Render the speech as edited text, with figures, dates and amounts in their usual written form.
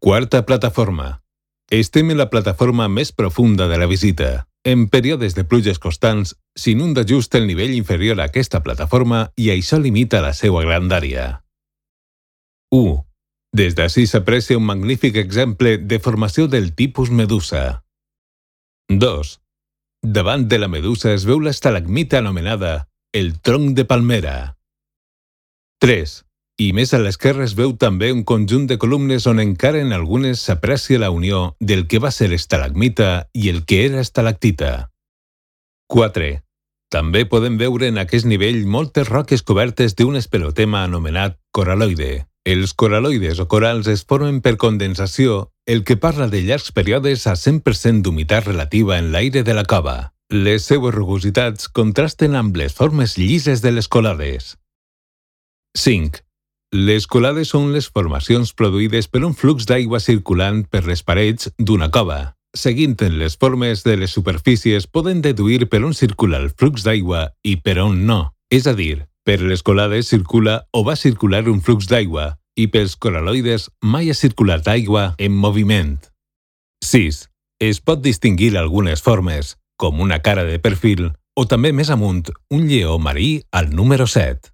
Quarta plataforma. Estem en la plataforma més profunda de la visita. En períodes de pluges constants, s'inunda just el nivell inferior a aquesta plataforma i això limita la seva grandària. 1. Des d'ací s'aprecia un magnífic exemple de formació del tipus medusa. 2. Davant de la medusa es veu l'estalagmita anomenada el tronc de palmera. 3. I més a l'esquerra es veu també un conjunt de columnes on encara en algunes s'aprecia la unió del que va ser estalagmita i el que era estalactita. 4. També podem veure en aquest nivell moltes roques cobertes d'un espelotema anomenat coraloide. Els coraloides o corals es formen per condensació, el que parla de llargs períodes a 100% d'humitat relativa en l'aire de la cova. Les seues rugositats contrasten amb les formes llises de les colades. 5. Les colades són les formacions produïdes per un flux d'aigua circulant per les parets d'una cova. Seguint en les formes de les superfícies poden deduir per on circula el flux d'aigua i per on no. És a dir, per les colades circula o va circular un flux d'aigua i pels coraloides mai ha circulat aigua en moviment. 6. Es pot distingir algunes formes, com una cara de perfil o també més amunt un lleó marí al número 7.